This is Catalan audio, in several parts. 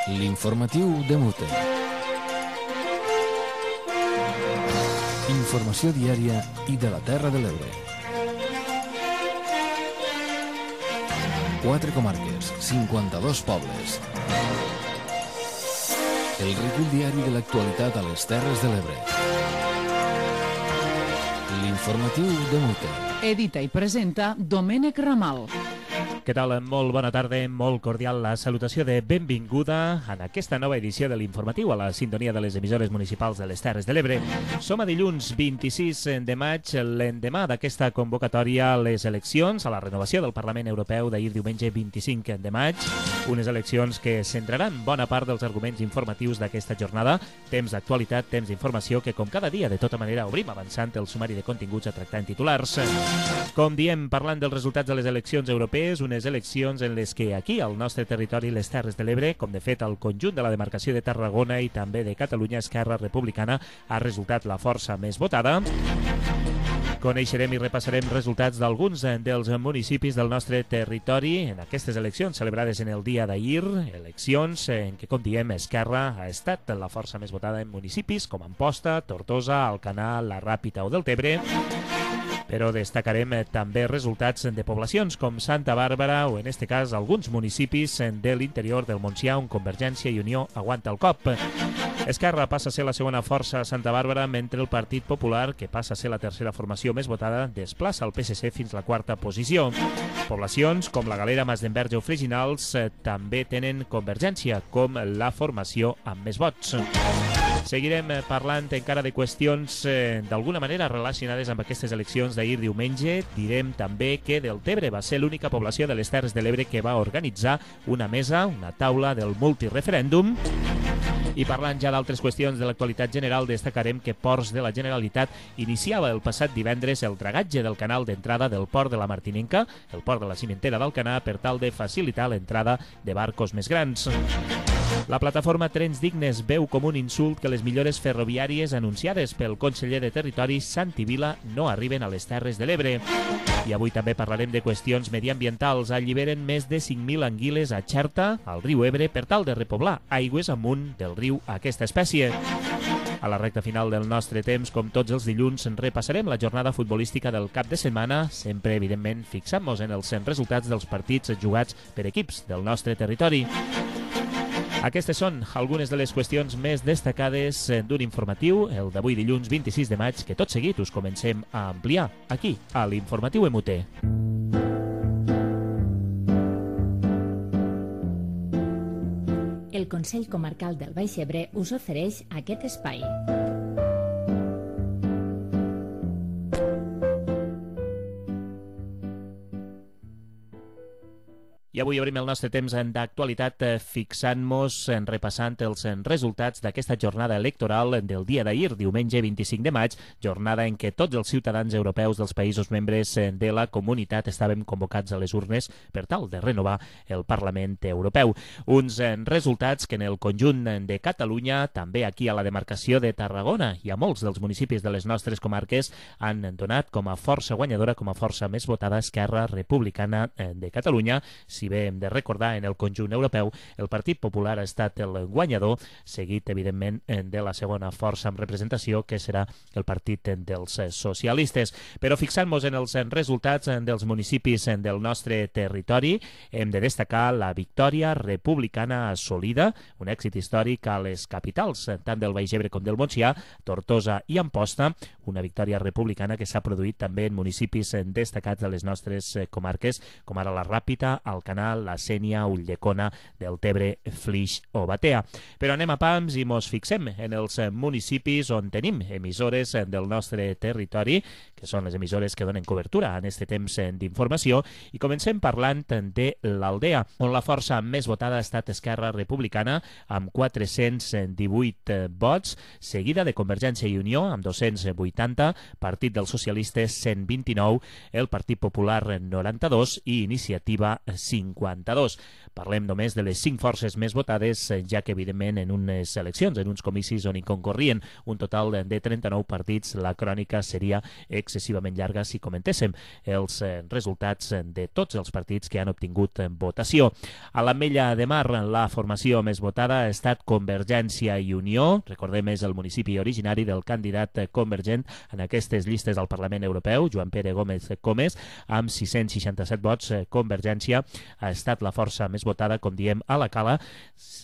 L'informatiu de Mute. Informació diària i de la Terra de l'Ebre. 4 comarques, 52 pobles. El recull diari de l'actualitat a les Terres de l'Ebre. L'informatiu de Mute. Edita i presenta Domènec Ramal. Què tal? Molt bona tarda, molt cordial la salutació de benvinguda en aquesta nova edició de l'informatiu a la sintonia de les emissores municipals de les Terres de l'Ebre. Som a dilluns 26 de maig, l'endemà d'aquesta convocatòria a les eleccions, a la renovació del Parlament Europeu d'ahir diumenge 25 de maig, unes eleccions que centraran bona part dels arguments informatius d'aquesta jornada, temps d'actualitat, temps d'informació que com cada dia de tota manera obrim avançant el sumari de continguts a tractar en titulars. Com diem, parlant dels resultats de les eleccions europees, unes eleccions en les que aquí, al nostre territori, les Terres de l'Ebre, com de fet al conjunt de la demarcació de Tarragona i també de Catalunya, Esquerra Republicana ha resultat la força més votada. Coneixerem i repassarem resultats d'alguns dels municipis del nostre territori en aquestes eleccions celebrades en el dia d'ahir, eleccions en què, com diem, Esquerra ha estat la força més votada en municipis com Amposta, Tortosa, Alcanar, la Ràpita o Deltebre. Però destacarem també resultats de poblacions com Santa Bàrbara o, en este cas, alguns municipis de l'interior del Montsià on Convergència i Unió aguanta el cop. Esquerra passa a ser la segona força a Santa Bàrbara, mentre el Partit Popular, que passa a ser la tercera formació més votada, desplaça el PSC fins a la quarta posició. Poblacions com la Galera, Masdenverge o Freginals també tenen Convergència com la formació amb més vots. Seguirem parlant encara de qüestions d'alguna manera relacionades amb aquestes eleccions d'ahir diumenge. Direm també que Deltebre va ser l'única població de les Terres de l'Ebre que va organitzar una mesa, una taula del multireferèndum. I parlant ja d'altres qüestions de l'actualitat general, destacarem que Ports de la Generalitat iniciava el passat divendres el dragatge del canal d'entrada del port de la Martinenca, el port de la Cimentera d'Alcanar, per tal de facilitar l'entrada de barcos més grans. La plataforma Trens Dignes veu com un insult que les millores ferroviàries anunciades pel conseller de Territori, Santi Vila, no arriben a les Terres de l'Ebre. I avui també parlarem de qüestions mediambientals. Alliberen més de 5.000 anguiles a Xerta, al riu Ebre, per tal de repoblar aigües amunt del riu aquesta espècie. A la recta final del nostre temps, com tots els dilluns, repassarem la jornada futbolística del cap de setmana, sempre, evidentment, fixant-nos en els resultats dels partits jugats per equips del nostre territori. Aquestes són algunes de les qüestions més destacades d'un informatiu, el d'avui dilluns 26 de maig, que tot seguit us comencem a ampliar aquí, a l'Informatiu MUT. El Consell Comarcal del Baix Ebre us ofereix aquest espai. I avui obrim el nostre temps d'actualitat fixant-nos, repassant els resultats d'aquesta jornada electoral del dia d'ahir, diumenge 25 de maig, jornada en què tots els ciutadans europeus dels països membres de la comunitat estàvem convocats a les urnes per tal de renovar el Parlament Europeu. Uns resultats que en el conjunt de Catalunya, també aquí a la demarcació de Tarragona i a molts dels municipis de les nostres comarques, han donat com a força guanyadora, com a força més votada, Esquerra Republicana de Catalunya. Si bé hem de recordar, en el conjunt europeu el Partit Popular ha estat el guanyador, seguit evidentment de la segona força amb representació, que serà el Partit dels Socialistes. Però fixant-nos en els resultats dels municipis del nostre territori, hem de destacar la victòria republicana assolida, un èxit històric a les capitals, tant del Baix Ebre com del Montsià, Tortosa i Amposta, una victòria republicana que s'ha produït també en municipis destacats de les nostres comarques, com ara la Ràpita, Alcanar, la Sénia, Ulldecona, Deltebre, Flix o Batea. Però anem a pams i mos fixem en els municipis on tenim emissores del nostre territori, que són les emissores que donen cobertura en aquest temps d'informació, i comencem parlant de l'Aldea, on la força més votada ha estat Esquerra Republicana, amb 418 vots, seguida de Convergència i Unió, amb 280, Partit dels Socialistes 129, el Partit Popular 92 i Iniciativa 52. Parlem només de les 5 forces més votades, ja que, evidentment, en unes eleccions, en uns comicis on hi concorrien un total de 39 partits, la crònica seria excessivament llarga si comentéssim els resultats de tots els partits que han obtingut votació. A l'Ametlla de Mar, la formació més votada ha estat Convergència i Unió. Recordem, és el municipi originari del candidat convergent en aquestes llistes al Parlament Europeu, Joan Pere Gómez Comes, amb 667 vots. Convergència ha estat la força més votada, com diem, a la Cala.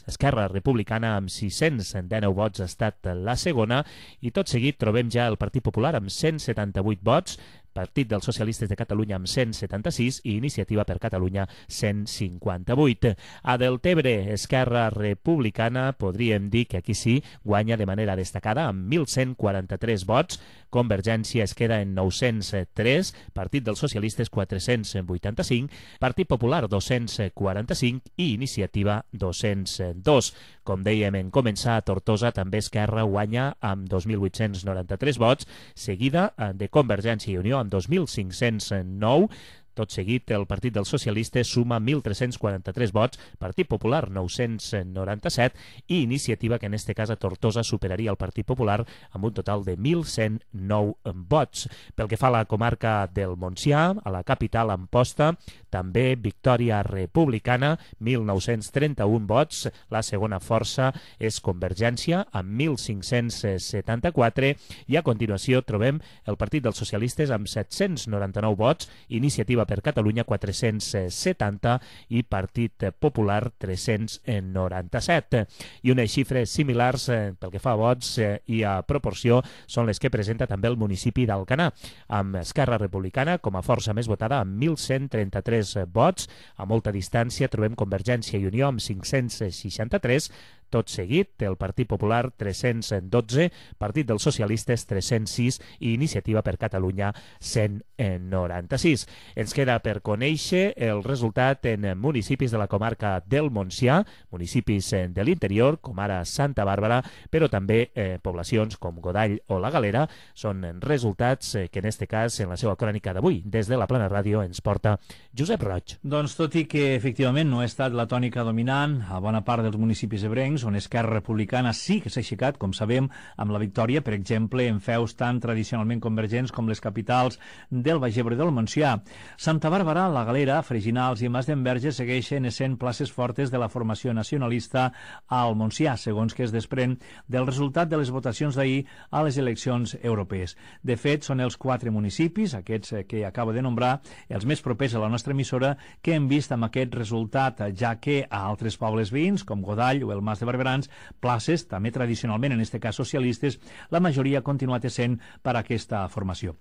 Esquerra Republicana, amb 619 vots, ha estat la segona, i tot seguit trobem ja el Partit Popular amb 178 vots, Partit dels Socialistes de Catalunya amb 176 i Iniciativa per Catalunya 158. A Deltebre, Esquerra Republicana, podríem dir que aquí sí guanya de manera destacada amb 1.143 vots, Convergència es queda en 903, Partit dels Socialistes 485, Partit Popular 245 i Iniciativa 202. Com dèiem en començar, a Tortosa també Esquerra guanya amb 2.893 vots, seguida de Convergència i Unió amb 2.509. Tot seguit, el Partit dels Socialistes suma 1.343 vots, Partit Popular 997 i Iniciativa, que en este cas a Tortosa superaria el Partit Popular amb un total de 1.109 vots. Pel que fa a la comarca del Montsià, a la capital Amposta, també victòria republicana, 1.931 vots. La segona força és Convergència, amb 1.574, i a continuació trobem el Partit dels Socialistes amb 799 vots, Iniciativa per Catalunya 470 i Partit Popular 397. I unes xifres similars pel que fa a vots i a proporció són les que presenta també el municipi d'Alcanar, amb Esquerra Republicana com a força més votada amb 1.133 vots. A molta distància trobem Convergència i Unió amb 563, tot seguit el Partit Popular 312, Partit dels Socialistes 306 i Iniciativa per Catalunya 196. Ens queda per conèixer el resultat en municipis de la comarca del Montsià, municipis de l'interior, com ara Santa Bàrbara, però també poblacions com Godall o la Galera. Són resultats que en este cas, en la seva crònica d'avui, des de la Plana Ràdio, ens porta Josep Roig. Doncs tot i que efectivament no ha estat la tònica dominant a bona part dels municipis ebrencs, on Esquerra Republicana sí que s'ha aixecat, com sabem, amb la victòria, per exemple, en feus tan tradicionalment convergents com les capitals del Baix Ebre del Montsià. Santa Bàrbara, la Galera, Freginals i Mas d'Enverge segueixen essent places fortes de la formació nacionalista al Montsià, segons que es desprèn del resultat de les votacions d'ahir a les eleccions europees. De fet, són els 4 municipis, aquests que acabo de nombrar, els més propers a la nostra emissora, que hem vist amb aquest resultat, ja que a altres pobles veïns, com Godall o el Mas de Barberans, places, també tradicionalment, en aquest cas socialistes, la majoria ha continuat essent per a aquesta formació.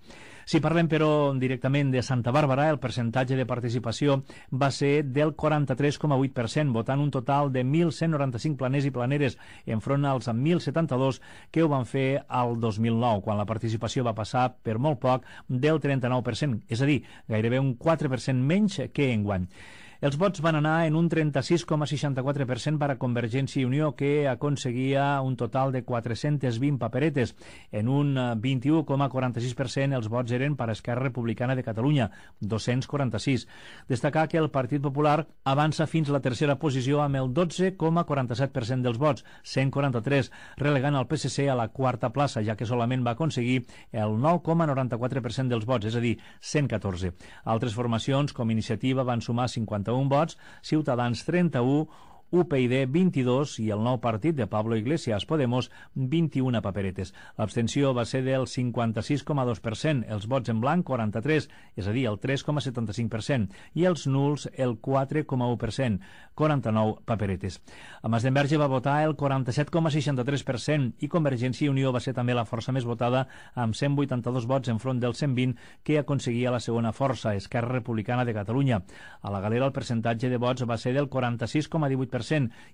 Si parlem, però, directament de Santa Bàrbara, el percentatge de participació va ser del 43,8%, votant un total de 1.195 planers i planeres enfront als 1.072 que ho van fer al 2009, quan la participació va passar per molt poc del 39%, és a dir, gairebé un 4% menys que enguany. Els vots van anar en un 36,64% per a Convergència i Unió, que aconseguia un total de 420 paperetes. En un 21,46% els vots eren per a Esquerra Republicana de Catalunya, 246. Destacar que el Partit Popular avança fins a la tercera posició amb el 12,47% dels vots, 143, relegant el PSC a la quarta plaça, ja que solament va aconseguir el 9,94% dels vots, és a dir, 114. Altres formacions, com Iniciativa, van sumar 51 vots, Ciutadans 31, UPyD 22 i el nou partit de Pablo Iglesias, Podemos, 21 paperetes. L'abstenció va ser del 56,2%, els vots en blanc 43, és a dir, el 3,75%, i els nuls el 4,1%, 49 paperetes. A Mas d'Enverge va votar el 47,63% i Convergència i Unió va ser també la força més votada amb 182 vots enfront del 120 que aconseguia la segona força, Esquerra Republicana de Catalunya. A la Galera el percentatge de vots va ser del 46,18%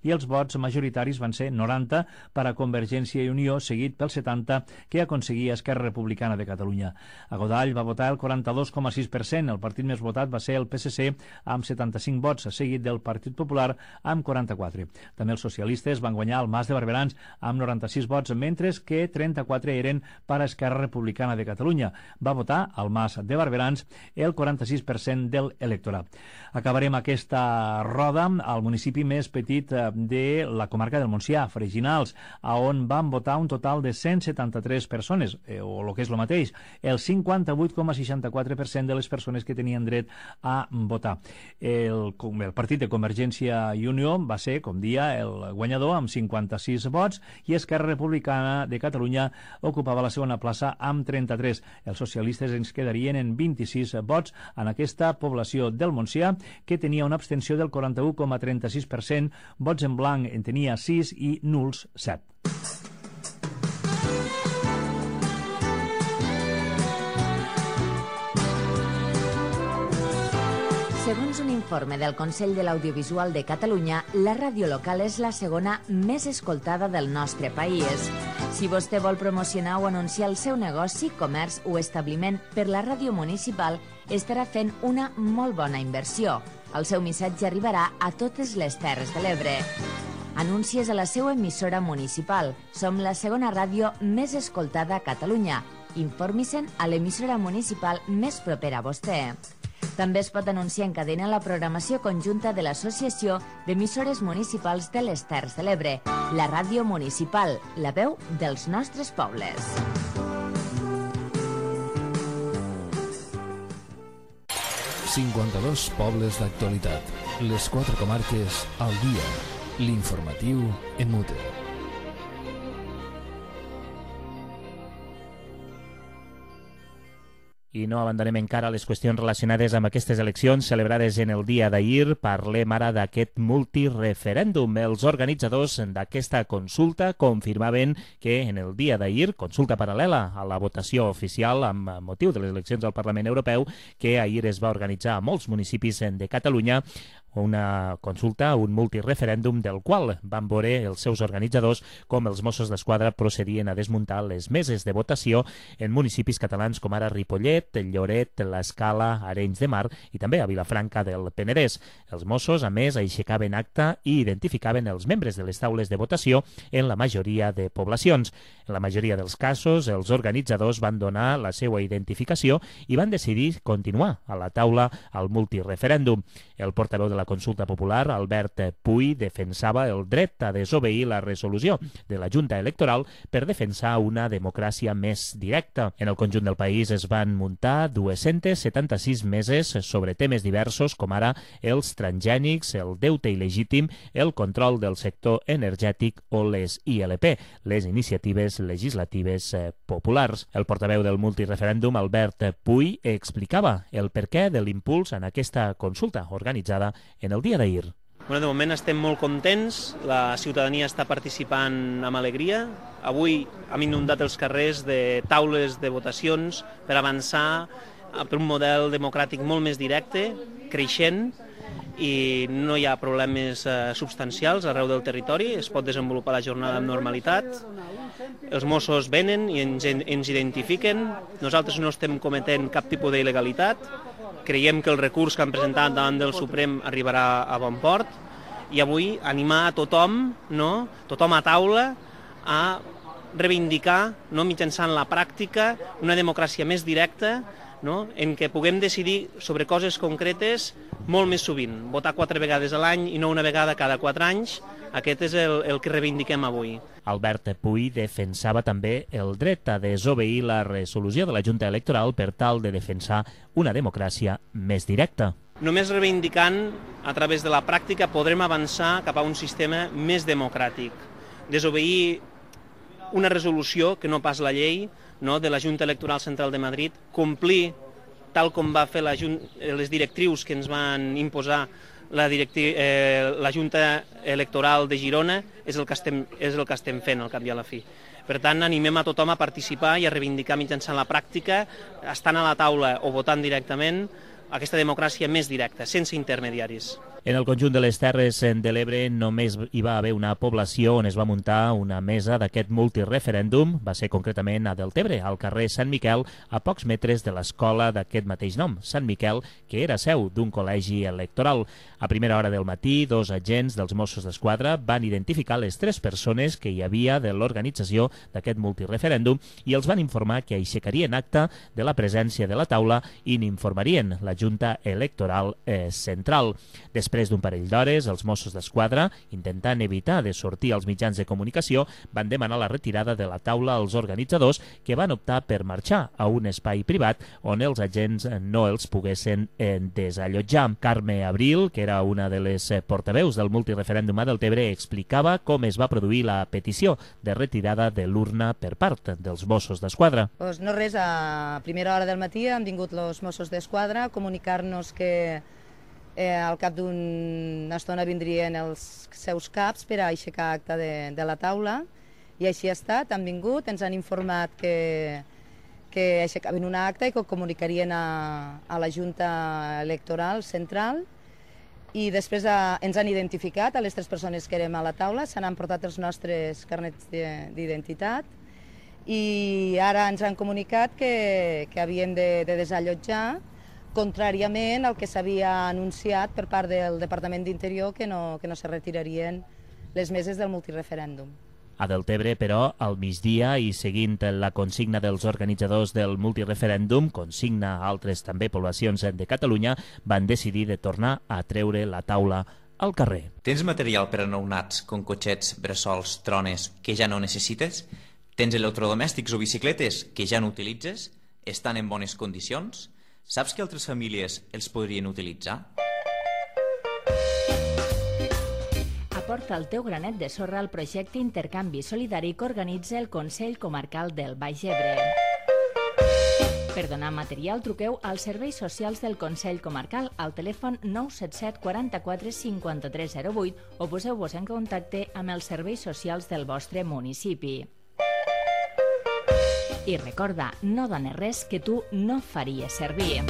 i els vots majoritaris van ser 90 per a Convergència i Unió, seguit pel 70 que aconseguia Esquerra Republicana de Catalunya. A Godall va votar el 42,6%, el partit més votat va ser el PSC amb 75 vots, seguit del Partit Popular amb 44. També els socialistes van guanyar el Mas de Barberans amb 96 vots, mentre que 34 eren per a Esquerra Republicana de Catalunya. Va votar al Mas de Barberans el 46% del electorat. Acabarem aquesta roda al municipi més petit petit de la comarca del Montsià, Freginals, on van votar un total de 173 persones, o el que és el mateix, el 58,64% de les persones que tenien dret a votar. El partit de Convergència i Unió va ser, com dia, el guanyador amb 56 vots i Esquerra Republicana de Catalunya ocupava la segona plaça amb 33. Els socialistes ens quedarien en 26 vots en aquesta població del Montsià, que tenia una abstenció del 41,36%, vots en blanc en tenia 6 i nuls 7. Segons un informe del Consell de l'Audiovisual de Catalunya, la ràdio local és la segona més escoltada del nostre país. Si vostè vol promocionar o anunciar el seu negoci, comerç o establiment per la ràdio municipal, estarà fent una molt bona inversió. El seu missatge arribarà a totes les Terres de l'Ebre. Anuncies a la seva emissora municipal. Som la segona ràdio més escoltada a Catalunya. Informi-se'n a l'emissora municipal més propera a vostè. També es pot anunciar en cadena la programació conjunta de l'Associació d'Emissores Municipals de les Terres de l'Ebre, la ràdio municipal, la veu dels nostres pobles. ...52 pobles d'actualitat. Les 4 comarques al dia. L'informatiu en mute. I no abandonem encara les qüestions relacionades amb aquestes eleccions celebrades en el dia d'ahir. Parlem ara d'aquest multireferèndum. Els organitzadors d'aquesta consulta confirmaven que en el dia d'ahir, consulta paral·lela a la votació oficial amb motiu de les eleccions al Parlament Europeu, que ahir es va organitzar a molts municipis de Catalunya, una consulta, un multireferèndum del qual van veure els seus organitzadors com els Mossos d'Esquadra procedien a desmuntar les meses de votació en municipis catalans com ara Ripollet, Lloret, l'Escala, Arenys de Mar i també a Vilafranca del Penedès. Els Mossos, a més, aixecaven acta i identificaven els membres de les taules de votació en la majoria de poblacions. En la majoria dels casos, els organitzadors van donar la seva identificació i van decidir continuar a la taula al multireferèndum. El portaveu de la consulta popular, Albert Puy, defensava el dret a desobeir la resolució de la Junta Electoral per defensar una democràcia més directa. En el conjunt del país es van muntar 276 meses sobre temes diversos com ara els transgènics, el deute il·legítim, el control del sector energètic o les ILP, les iniciatives legislatives populars. El portaveu del multireferèndum, Albert Puy, explicava el perquè de l'impuls en aquesta consulta organitzada en el dia d'ahir. De moment estem molt contents, la ciutadania està participant amb alegria. Avui hem inundat els carrers de taules de votacions per avançar per un model democràtic molt més directe, creixent, i no hi ha problemes substancials arreu del territori, es pot desenvolupar la jornada amb normalitat. Els Mossos venen i ens identifiquen, nosaltres no estem cometent cap tipus d'il·legalitat, creiem que el recurs que han presentat davant del Suprem arribarà a bon port i avui animar a tothom, tothom a taula, a reivindicar, mitjançant la pràctica, una democràcia més directa, en què puguem decidir sobre coses concretes molt més sovint. Votar 4 vegades a l'any i no una vegada cada 4 anys, aquest és el que reivindiquem avui. Albert Puy defensava també el dret a desobeir la resolució de la Junta Electoral per tal de defensar una democràcia més directa. Només reivindicant, a través de la pràctica, podrem avançar cap a un sistema més democràtic. Desobeir una resolució, que no pas la llei, de la Junta Electoral Central de Madrid, complir, tal com va fer les directrius que ens van imposar la Junta Electoral de Girona, és el que estem fent al cap i a la fi. Per tant, animem a tothom a participar i a reivindicar mitjançant la pràctica, estant a la taula o votant directament, aquesta democràcia més directa, sense intermediaris. En el conjunt de les Terres de l'Ebre només hi va haver una població on es va muntar una mesa d'aquest multireferèndum, va ser concretament a Deltebre, al carrer Sant Miquel, a pocs metres de l'escola d'aquest mateix nom, Sant Miquel, que era seu d'un col·legi electoral. A primera hora del matí, 2 agents dels Mossos d'Esquadra van identificar les 3 persones que hi havia de l'organització d'aquest multireferèndum i els van informar que aixecarien acta de la presència de la taula i n'informarien la Junta Electoral Central. Després Després d'un parell d'hores, els Mossos d'Esquadra, intentant evitar de sortir als mitjans de comunicació, van demanar la retirada de la taula als organitzadors, que van optar per marxar a un espai privat on els agents no els poguessin desallotjar. Carme Abril, que era una de les portaveus del multireferèndum a Deltebre, explicava com es va produir la petició de retirada de l'urna per part dels Mossos d'Esquadra. Pues no res, a primera hora del matí han vingut els Mossos d'Esquadra a comunicar-nos que al cap d'una estona vindrien els seus caps per a aixecar acta de la taula, i així ha estat, han vingut, ens han informat que aixecaven una acta i que ho comunicarien a la Junta Electoral Central, i després ens han identificat a les 3 persones que érem a la taula, se n'han portat els nostres carnets d'identitat, i ara ens han comunicat que havíem de desallotjar, contràriament al que s'havia anunciat per part del Departament d'Interior, que no se retirarien les meses del multireferèndum. A Deltebre, però, al migdia i seguint la consigna dels organitzadors del multireferèndum, consigna a altres també poblacions de Catalunya, van decidir de tornar a treure la taula al carrer. Tens material per a nounats, com cotxets, bressols, trones, que ja no necessites? Tens electrodomèstics o bicicletes que ja no utilitzes? Estan en bones condicions? Saps que altres famílies els podrien utilitzar? Aporta el teu granet de sorra al projecte Intercanvi Solidari que organitza el Consell Comarcal del Baix Ebre. Per donar material, truqueu als serveis socials del Consell Comarcal al telèfon 977 44 53 08 o poseu-vos en contacte amb els serveis socials del vostre municipi. I recorda, no dones res que tu no faries servir.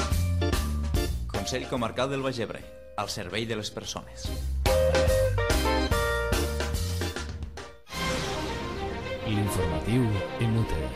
Consell Comarcal del Baix Ebre, al servei de les persones. L'informatiu inútil.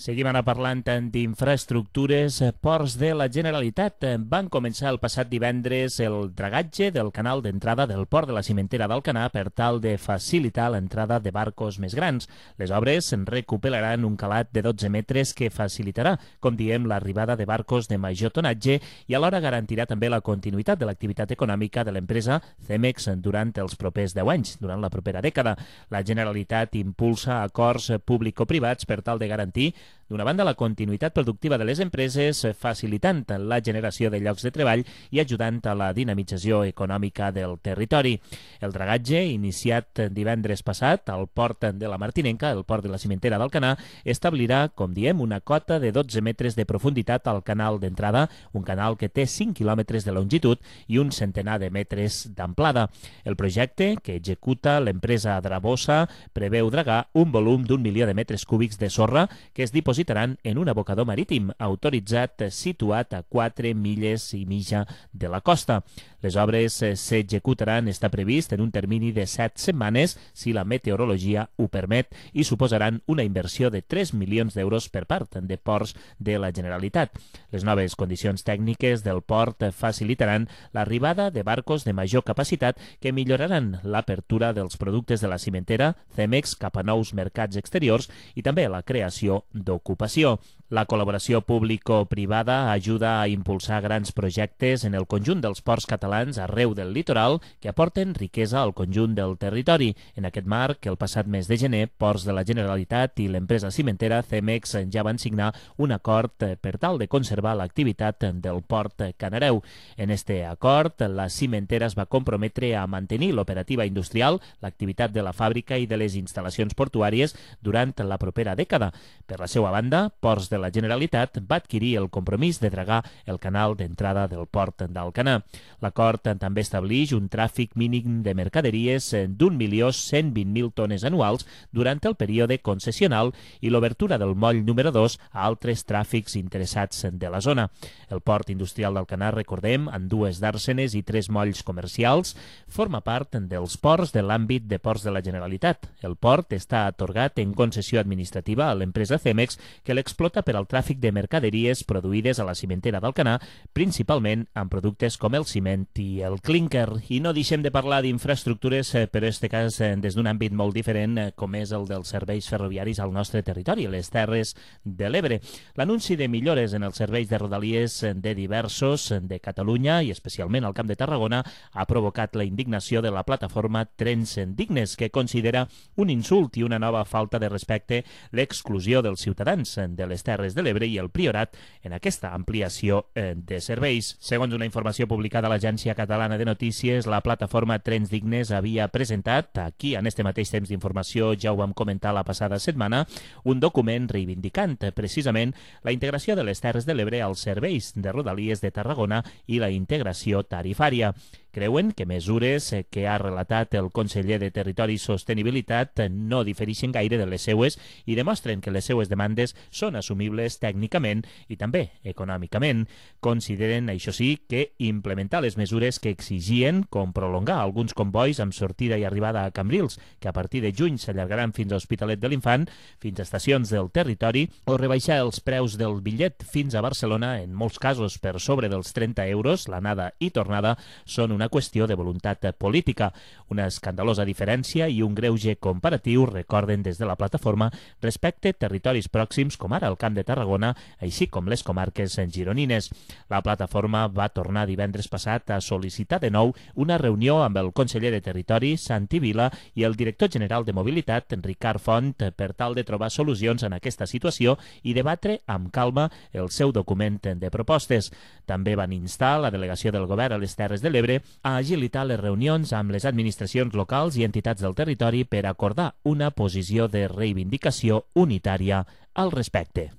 Seguim ara parlant d'infraestructures. Ports de la Generalitat van començar el passat divendres el dragatge del canal d'entrada del port de la Cimentera d'Alcanar per tal de facilitar l'entrada de barcos més grans. Les obres recuperaran un calat de 12 metres que facilitarà, com diem, l'arribada de barcos de major tonatge i alhora garantirà també la continuïtat de l'activitat econòmica de l'empresa Cemex durant els propers 10 anys, durant la propera dècada. La Generalitat impulsa acords público-privats per tal de garantir, d'una banda, la continuïtat productiva de les empreses, facilitant la generació de llocs de treball i ajudant a la dinamització econòmica del territori. El dragatge, iniciat divendres passat al port de la Martinenca, el port de la Cimentera d'Alcanar, establirà, com diem, una cota de 12 metres de profunditat al canal d'entrada, un canal que té 5 quilòmetres de longitud i un centenar de metres d'amplada. El projecte, que executa l'empresa Drabosa, preveu dragar un volum d'1 milió de metres cúbics de sorra que es dipositaran en un abocador marítim autoritzat situat a 4 milles i mitja de la costa. Les obres s'executaran, està previst, en un termini de 7 setmanes, si la meteorologia ho permet, i suposaran una inversió de 3 milions d'euros per part de Ports de la Generalitat. Les noves condicions tècniques del port facilitaran l'arribada de barcos de major capacitat que milloraran l'apertura dels productes de la cimentera Cemex cap a nous mercats exteriors i també la creació d'ocupació. La col·laboració público-privada ajuda a impulsar grans projectes en el conjunt dels ports catalans arreu del litoral que aporten riquesa al conjunt del territori. En aquest marc, el passat mes de gener, Ports de la Generalitat i l'empresa cimentera Cemex ja van signar un acord per tal de conservar l'activitat del port canareu. En este acord, la cimentera es va comprometre a mantenir l'operativa industrial, l'activitat de la fàbrica i de les instal·lacions portuàries durant la propera dècada. Per la seva banda, Ports de la Generalitat va adquirir el compromís de dragar el canal d'entrada del port d'Alcanar. L'acord també estableix un tràfic mínim de mercaderies d'1.120.000 tones anuals durant el període concessional i l'obertura del moll número 2 a altres tràfics interessats de la zona. El port industrial d'Alcanar, recordem, amb 2 dàrsenes i 3 molls comercials, forma part dels ports de l'àmbit de Ports de la Generalitat. El port està atorgat en concessió administrativa a l'empresa Cemex que l'explota per al tràfic de mercaderies produïdes a la cimentera d'Alcanar, principalment amb productes com el ciment i el clínquer. I no deixem de parlar d'infraestructures, però en aquest cas des d'un àmbit molt diferent, com és el dels serveis ferroviaris al nostre territori, les Terres de l'Ebre. L'anunci de millores en els serveis de rodalies de diversos de Catalunya i especialment al Camp de Tarragona ha provocat la indignació de la plataforma Trens Dignes, que considera un insult i una nova falta de respecte l'exclusió dels ciutadans de les Terres de l'Ebre i el Priorat en aquesta ampliació de serveis. Segons una informació publicada a l'Agència Catalana de Notícies, la plataforma Trens Dignes havia presentat, aquí en este mateix temps d'informació ja ho vam comentar la passada setmana, un document reivindicant precisament la integració de les Terres de l'Ebre als serveis de rodalies de Tarragona i la integració tarifària. Creuen que mesures que ha relatat el conseller de Territori i Sostenibilitat no difereixen gaire de les seues i demostren que les seues demandes són assumibles tècnicament i també econòmicament. Consideren, això sí, que implementar les mesures que exigien, com prolongar alguns convois amb sortida i arribada a Cambrils, que a partir de juny s'allargaran fins a Hospitalet de l'Infant, fins a estacions del territori, o rebaixar els preus del bitllet fins a Barcelona, en molts casos per sobre dels 30 euros, l'anada i tornada, són una qüestió de voluntat política. Una escandalosa diferència i un greuge comparatiu, recorden des de la plataforma, respecte territoris pròxims com ara el Camp de Tarragona, així com les comarques gironines. La plataforma va tornar divendres passat a sol·licitar de nou una reunió amb el conseller de Territori, Santi Vila, i el director general de Mobilitat, Ricard Font, per tal de trobar solucions en aquesta situació i debatre amb calma el seu document de propostes. També van instar la delegació del govern a les Terres de l'Ebre a agilitar les reunions amb les administracions locals i entitats del territori per acordar una posició de reivindicació unitària al respecte.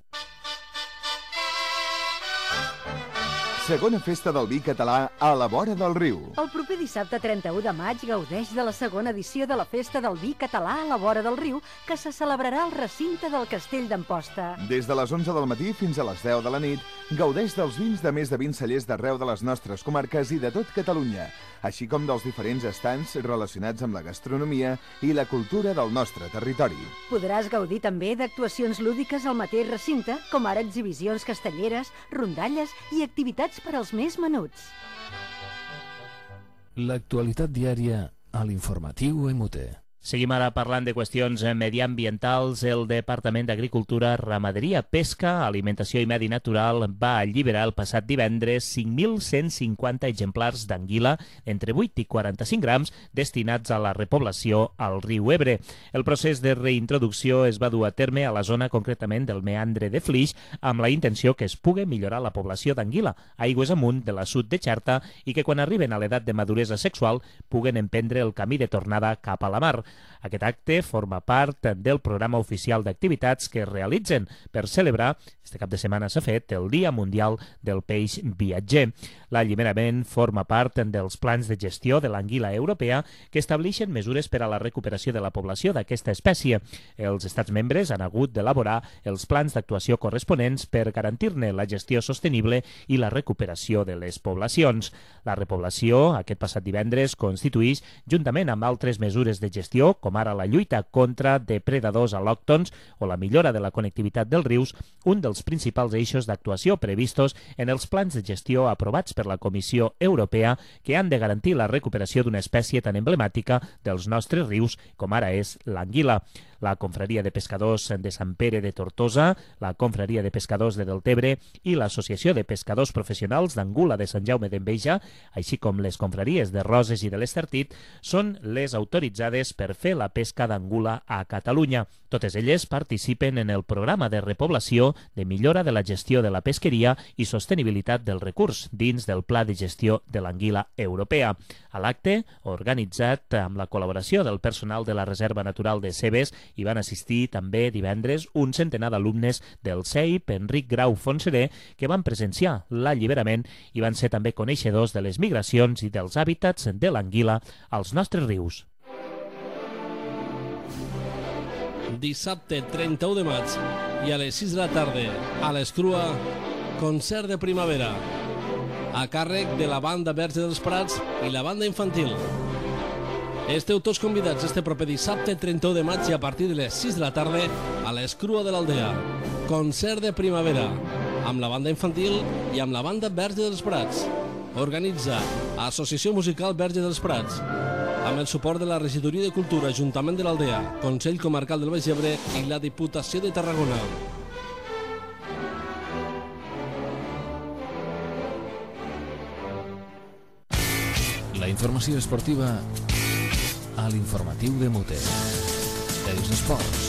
Segona festa del vi català a la vora del riu. El proper dissabte 31 de maig gaudeix de la segona edició de la Festa del Vi català a la vora del riu, que se celebrarà al recinte del Castell d'Amposta. Des de les 11 del matí fins a les 10 de la nit, gaudeix dels vins de més de 20 cellers d'arreu de les nostres comarques i de tot Catalunya, així com dels diferents estants relacionats amb la gastronomia i la cultura del nostre territori. Podràs gaudir també d'actuacions lúdiques al mateix recinte, com ara exhibicions castelleres, rondalles i activitats per als més menuts. L'actualitat diària a l'informatiu MUT. Seguim ara parlant de qüestions mediambientals. El Departament d'Agricultura, Ramaderia, Pesca, Alimentació i Medi Natural va alliberar el passat divendres 5.150 exemplars d'anguila entre 8 i 45 grams destinats a la repoblació al riu Ebre. El procés de reintroducció es va dur a terme a la zona concretament del meandre de Flix amb la intenció que es pugui millorar la població d'anguila aigües amunt de l'assut de Xerta i que quan arriben a l'edat de maduresa sexual puguen emprendre el camí de tornada cap a la mar. Aquest acte forma part del programa oficial d'activitats que es realitzen per celebrar, este cap de setmana s'ha fet, el Dia Mundial del Peix Viatger. L'alliberament forma part dels plans de gestió de l'anguila europea que estableixen mesures per a la recuperació de la població d'aquesta espècie. Els estats membres han hagut d'elaborar els plans d'actuació corresponents per garantir-ne la gestió sostenible i la recuperació de les poblacions. La repoblació, aquest passat divendres, constituïx, juntament amb altres mesures de gestió, com ara la lluita contra depredadors al·lòctons o la millora de la connectivitat dels rius, un dels principals eixos d'actuació previstos en els plans de gestió aprovats per la Comissió Europea que han de garantir la recuperació d'una espècie tan emblemàtica dels nostres rius com ara és l'anguila. La Confraria de Pescadors de Sant Pere de Tortosa, la Confraria de Pescadors de Deltebre i l'Associació de Pescadors Professionals d'Angula de Sant Jaume d'Enveja, així com les confraries de Roses i de l'Estartit, són les autoritzades per fer la pesca d'angula a Catalunya. Totes elles participen en el programa de repoblació, de millora de la gestió de la pesqueria i sostenibilitat del recurs dins del Pla de Gestió de l'Anguila Europea. A l'acte, organitzat amb la col·laboració del personal de la Reserva Natural de Cebes, hi van assistir també divendres un centenar d'alumnes del CEIP Enric Grau Fontseré que van presenciar l'alliberament i van ser també coneixedors de les migracions i dels hàbitats de l'anguila als nostres rius. Dissabte 31 de maig i a les 6 de la tarda a l'Escrua, concert de primavera a càrrec de la banda Verge dels Prats i la banda infantil. Esteu tots convidats este proper dissabte 31 de maig i a partir de les 6 de la tarda a l'Escrua de l'Aldea. concert de primavera, amb la banda infantil i amb la banda Verge dels Prats. Organitza Associació Musical Verge dels Prats, amb el suport de la Regidoria de Cultura, Ajuntament de l'Aldea, Consell Comarcal del Baix Ebre i la Diputació de Tarragona. La informació esportiva a l'informatiu de Mute. Els esports.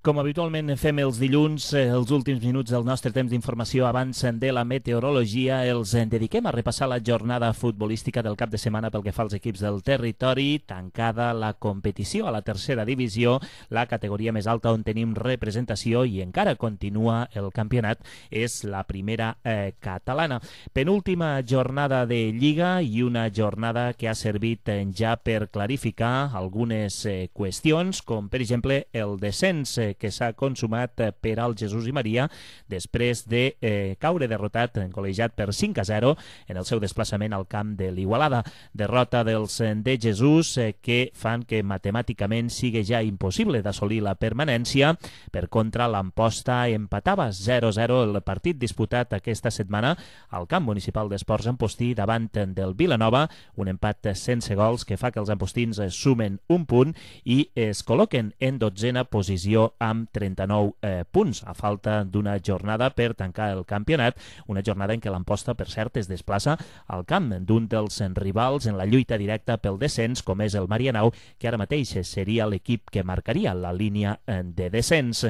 Com habitualment fem els dilluns, els últims minuts del nostre temps d'informació abans de la meteorologia els dediquem a repassar la jornada futbolística del cap de setmana pel que fa als equips del territori, tancada la competició a la tercera divisió, la categoria més alta on tenim representació i encara continua el campionat, és la primera catalana. Penúltima jornada de Lliga i una jornada que ha servit ja per clarificar algunes qüestions, com per exemple el descens que s'ha consumat per al Jesús i Maria després de caure derrotat, col·legiat per 5-0 en el seu desplaçament al camp de l'Igualada. Derrota dels de Jesús que fan que matemàticament sigui ja impossible d'assolir la permanència. Per contra, l'Amposta empatava 0-0 el partit disputat aquesta setmana al camp municipal d'Esports Ampostí davant del Vilanova, un empat sense gols que fa que els ampostins sumen un punt i es col·loquen en 12a posició amb 39 punts, a falta d'una jornada per tancar el campionat, una jornada en què l'Amposta, per cert, es desplaça al camp d'un dels rivals en la lluita directa pel descens, com és el Marianao, que ara mateix seria l'equip que marcaria la línia de descens.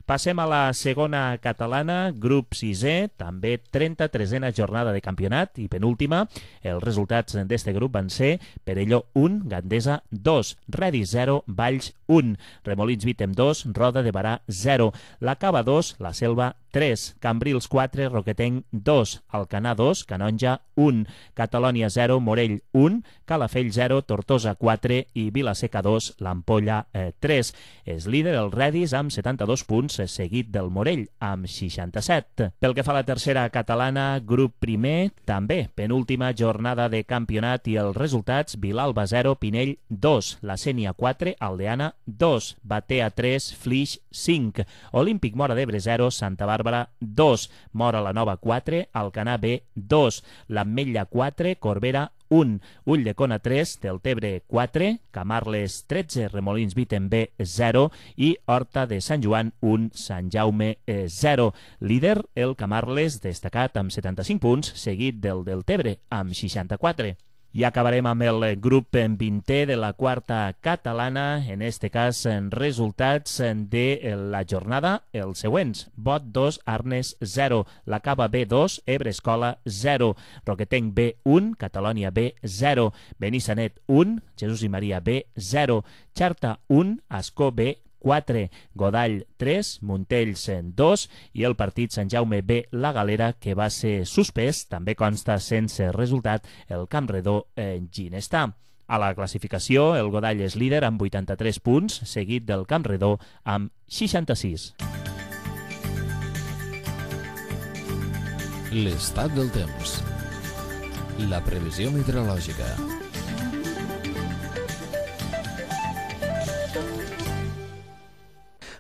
Passem a la segona catalana, grup 6è, també 33a jornada de campionat i penúltima. Els resultats d'este grup van ser Perelló 1, Gandesa 2, Redis 0, Valls 1, Remolins Vítem 2, Roda de Barà 0, la Cava 2, la Selva 3, Cambrils 4, Roquetenc 2, Alcanar 2, Canonja 1, Catalònia 0, Morell 1, Calafell 0, Tortosa 4 i Vilaseca 2, l'Ampolla 3. És líder el Redis amb 72 punts, seguit del Morell amb 67. Pel que fa a la tercera catalana, grup primer, també penúltima jornada de campionat i els resultats: Vilalba 0, Pinell 2, la Sénia 4, Aldeana 2, Batea 3, Flix 5, Olímpic Móra d'Ebre 0, Santa Bàrbara 2, Móra la Nova 4, Alcanar B 2, l'Ametlla 4, Corbera 1, Ulldecona 3, Deltebre 4, Camarles 13, Remolins Vítem B 0 i Horta de Sant Joan 1, Sant Jaume 0. Líder el Camarles, destacat amb 75 punts, seguit del Deltebre amb 64. I acabarem amb el grup 20è de la quarta catalana, en este cas resultats de la jornada els següents: Bot 2, Arnes 0, la Cava B 2, Ebre Escola 0, Roquetenc B 1, Catalònia B 0, Benissanet 1, Jesús i Maria B 0, Xarta 1, Ascó B 4, Godall 3, Montells 2 i el partit Sant Jaume B La Galera, que va ser suspès, també consta sense resultat, el Campredó Ginestà. A la classificació, el Godall és líder amb 83 punts, seguit del Campredó amb 66. L'estat del temps. La previsió meteorològica.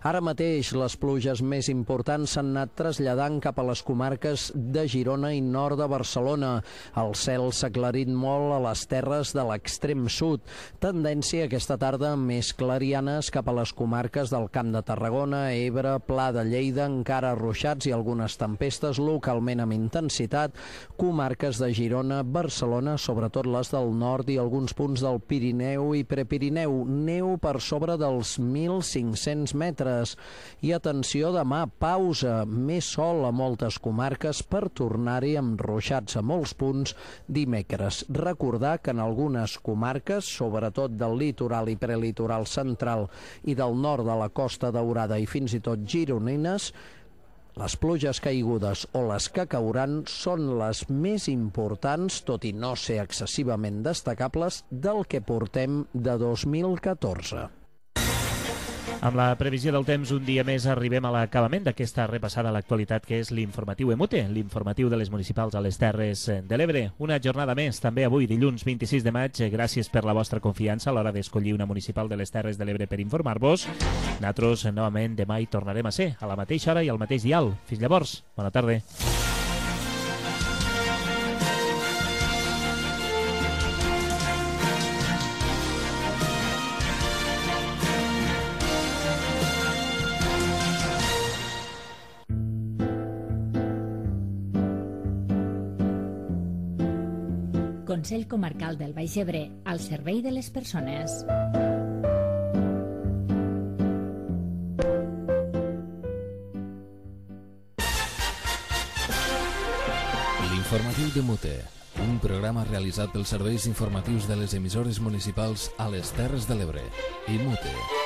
Ara mateix les pluges més importants s'han anat traslladant cap a les comarques de Girona i nord de Barcelona. El cel s'ha aclarit molt a les terres de l'extrem sud. Tendència aquesta tarda més clarianes cap a les comarques del Camp de Tarragona, Ebre, Pla de Lleida, encara ruixats i algunes tempestes localment amb intensitat. Comarques de Girona, Barcelona, sobretot les del nord i alguns punts del Pirineu i Prepirineu. Neu per sobre dels 1.500 metres. I atenció, demà, pausa, més sol a moltes comarques per tornar-hi amb ruixats a molts punts dimecres. Recordar que en algunes comarques, sobretot del litoral i prelitoral central i del nord de la Costa Daurada i fins i tot gironines, les pluges caigudes o les que cauran són les més importants, tot i no ser excessivament destacables, del que portem de 2014. Amb la previsió del temps, un dia més arribem a l'acabament d'aquesta repassada a l'actualitat que és l'informatiu EMUTE, l'informatiu de les municipals a les Terres de l'Ebre. Una jornada més, també avui, dilluns 26 de maig. Gràcies per la vostra confiança a l'hora d'escollir una municipal de les Terres de l'Ebre per informar-vos. Nosaltres, novament, demà hi tornarem a ser, a la mateixa hora i al mateix dial. Fins llavors, bona tarda. Consell Comarcal del Baix Ebre, al servei de les persones. L'informatiu d'EMUTE, un programa realitzat pels serveis informatius de les emissores municipals a les Terres de l'Ebre. EMUTE.